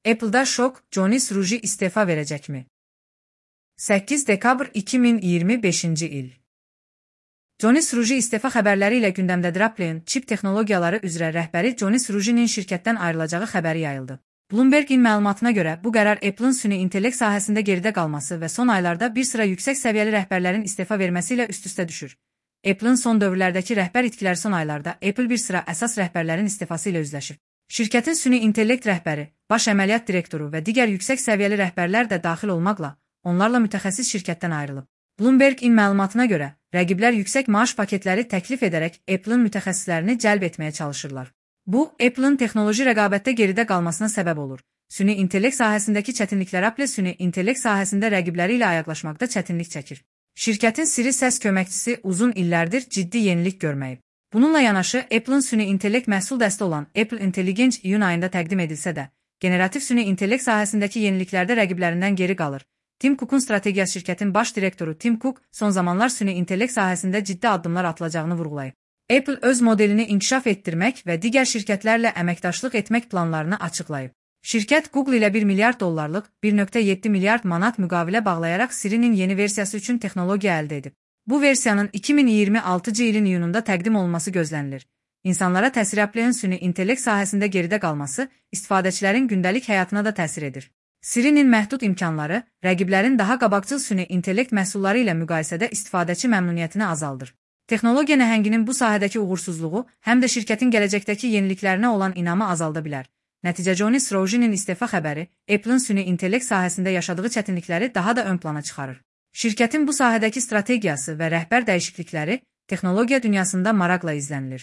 Apple'da şok, Jonas Ruji istefa verecekmi? 8 dekabr 2025 il. Jonas Ruji istefa xəbərləri ilə gündəmdədir. Apple'ın çip texnologiyaları üzrə rəhbəri Jonas Rujinin şirkətdən ayrılacağı xəbəri yayıldı. Bloomberg'in məlumatına görə bu qərar Apple'ın süni intellekt sahəsində geridə qalması və son aylarda bir sıra yüksək səviyyəli rəhbərlərin istefa verməsi ilə üst-üstə düşür. Apple'ın son dövrlərdəki rəhbər itkiləri son aylarda Apple bir sıra əsas rəhbərlərin istefası ilə üzləşib. Şirkətin süni intellekt rəhbəri, baş əməliyyat direktoru və digər yüksək səviyyəli rəhbərlər də daxil olmaqla onlarla mütəxəssis şirkətdən ayrılıb. Bloomberg'in məlumatına görə rəqiblər yüksək maaş paketləri təklif edərək Apple'ın mütəxəssislərini cəlb etməyə çalışırlar. Bu, Apple'ın texnoloji rəqabətdə geridə qalmasına səbəb olur. Süni intellekt sahəsindəki çətinliklər Apple süni intellekt sahəsində rəqibləri ilə ayaqlaşmaqda çətinlik çəkir. Şirkətin siri səs köməkçisi uzun illərdir ciddi yenilik görməyib. Bununla yanaşı, Apple'ın süni intellekt məhsul dəsti olan Apple Intelligence iyun ayında təqdim edilsə də, generativ süni intellekt sahəsindəki yeniliklərdə rəqiblərindən geri qalır. Tim Cook'un strategiyası şirkətin baş direktoru Tim Cook son zamanlar süni intellekt sahəsində ciddi addımlar atılacağını vurğulayıb. Apple öz modelini inkişaf etdirmək və digər şirkətlərlə əməkdaşlıq etmək planlarını açıqlayıb. Şirkət Google ilə 1 milyard dollarlıq 1,7 milyard manat müqavilə bağlayaraq Siri'nin yeni versiyası üçün texnologiya əldə edib. Bu versiyanın 2026 ilin iyununda təqdim olunması gözlənilir. İnsanlara təsiri Apple'ın süni intellekt sahəsində geridə qalması istifadəçilərin gündəlik həyatına da təsir edir. Siri'nin məhdud imkanları rəqiblərin daha qabaqcıl süni intellekt məhsulları ilə müqayisədə istifadəçi məmnuniyyətini azaldır. Texnologiya nəhənginin bu sahədəki uğursuzluğu həm də şirkətin gələcəkdəki yeniliklərinə olan inamı azalda bilər. Nəticə Jonas Rujinin istefa xəbəri Apple'ın süni intellekt sahəsində yaşadığı çətinlikləri daha da ön plana çıxarır. Şirkətin bu sahədəki strategiyası və rəhbər dəyişiklikləri texnologiya dünyasında maraqla izlənilir.